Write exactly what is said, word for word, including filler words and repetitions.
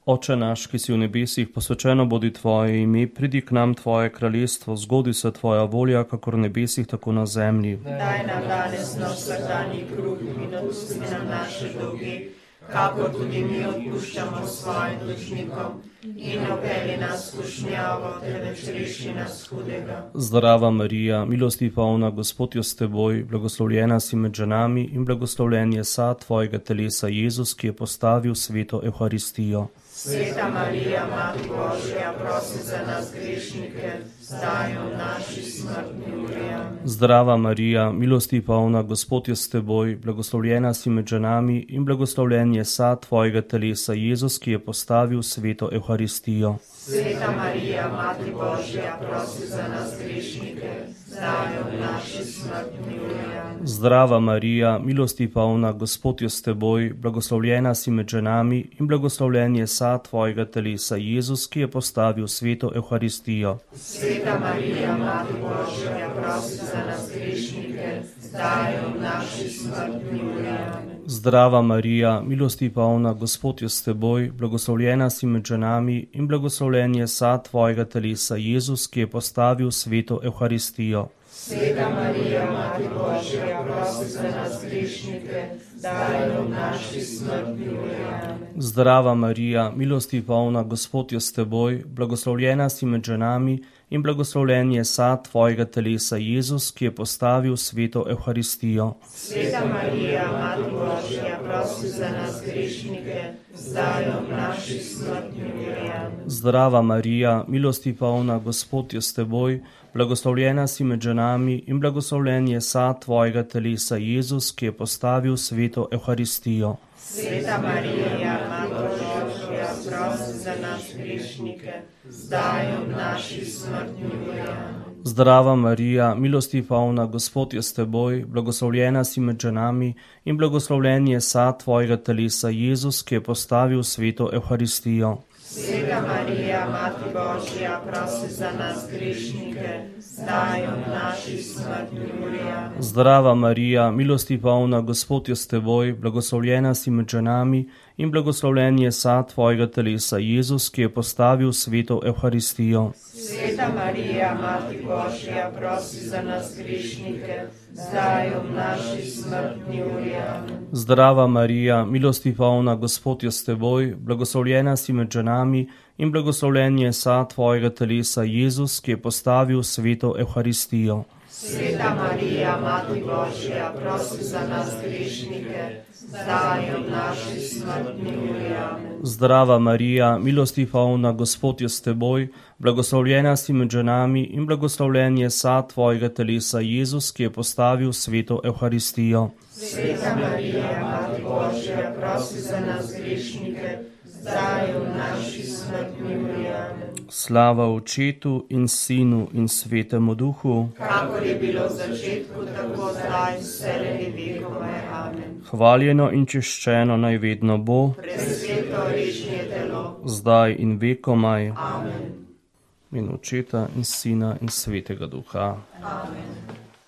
Oče naš, ki si v nebesih, posvečeno bodi tvoje ime, pridi k nam tvoje kraljestvo, zgodi se tvoja volja, kakor v nebesih, tako na zemlji. Daj nam danes naš vsakdanji kruh in odpusti nam naše dolge, kakor tudi mi odpuščamo svojim dolžnikom. In ne vpelji nas v skušnjavo, temveč reši nas hudega. Zdrava Marija, milosti polna, Gospod je s teboj, blagoslovljena si med ženami in blagoslovljen je sad tvojega telesa Jezus, ki je postavil sveto Evharistijo. Sveta Marija, Mati Božja, prosi za nas grešnike, zdaj in v naši smrtni uri. Amen. Zdrava Marija, milosti polna, Gospod je s teboj, blagoslovljena si med ženami in blagoslovljen je sad tvojega telesa Jezus, ki je postavil sveto Evharistijo. Sveta Marija, Mati Božja, prosi za nas grešnike, zdaj in v naši smrtni uri. Amen. Zdrava Marija, milosti polna, Gospod je s teboj, blagoslovljena si med ženami in blagoslovljen je sad tvojega telesa Jezus, ki je postavil sveto Evharistijo. Sveta Marija, Mati Božja, prosi za nas grešnike, zdaj in v naši smrtni uri. Amen. Zdrava Marija, milosti polna, Gospod je s teboj, blagoslovljena si med ženami in blagoslovljen je sad tvojega telesa Jezus, ki je postavil sveto Evharistijo. Sveta Marija, Mati Božja, prosi za nas grešnike, zdaj in v naši smrtni uri. Amen. Zdrava Marija, milosti polna, Gospod je s teboj, blagoslovljena si med ženami in blagoslovljen je sad tvojega telesa Jezus, ki je postavil sveto Evharistijo. Sveta Marija, Mati Božja, prosi za nas grešnike, zdaj in v naši smrtni uri. Amen. Zdrava Marija, milosti polna, Gospod je s teboj, blagoslovljena si med ženami in blagoslovljen je sad tvojega telesa Jezus, ki je postavil sveto Evharistijo. Sveta Marija, Mati Božja, prosi za nas grešnike, zdaj in v naši smrtni uri. Amen. Zdrava Marija, milosti polna, Gospod je s teboj, blagoslovljena si med ženami in blagoslovljen je sad tvojega telesa Jezus, ki je postavil sveto Evharistijo. Sveta Marija, Mati Božja, prosi za nas grešnike, zdaj in v naši smrtni uri. Amen. Zdrava Marija, milosti polna, Gospod je s teboj, blagoslovljena si med ženami in blagoslovljen je sad tvojega telesa Jezus, ki je postavil sveto Evharistijo. Sveta Marija, Mati Božja, prosi za nas grešnike, zdaj in v naši smrtni uri. Amen. Zdrava Marija, milosti polna, Gospod je s teboj, blagoslovljena si med ženami in blagoslovljen je sad tvojega telesa Jezus, ki je postavil sveto Evharistijo. Sveta Marija, Mati Božja, prosi za nas grešnike, zdaj in v naši smrtni uri. Amen. Zdrava Marija, milosti polna, Gospod je s teboj, blagoslovljena si med ženami in blagoslovljen je sad tvojega telesa Jezus, ki je postavil sveto Evharistijo. Sveta Marija, Mati Božja, prosi za nas grešnike, zdaj in v naši smrtni uri. Amen. Slava Očetu in Sinu in Svetemu Duhu, kakor je bilo v začetku, tako zdaj in vselej vekove. Amen. hvaljeno in češčeno naj vedno bo, Presveto režnje telo, zdaj in vekomaj, amen. in Očeta in Sina in Svetega Duha. Amen.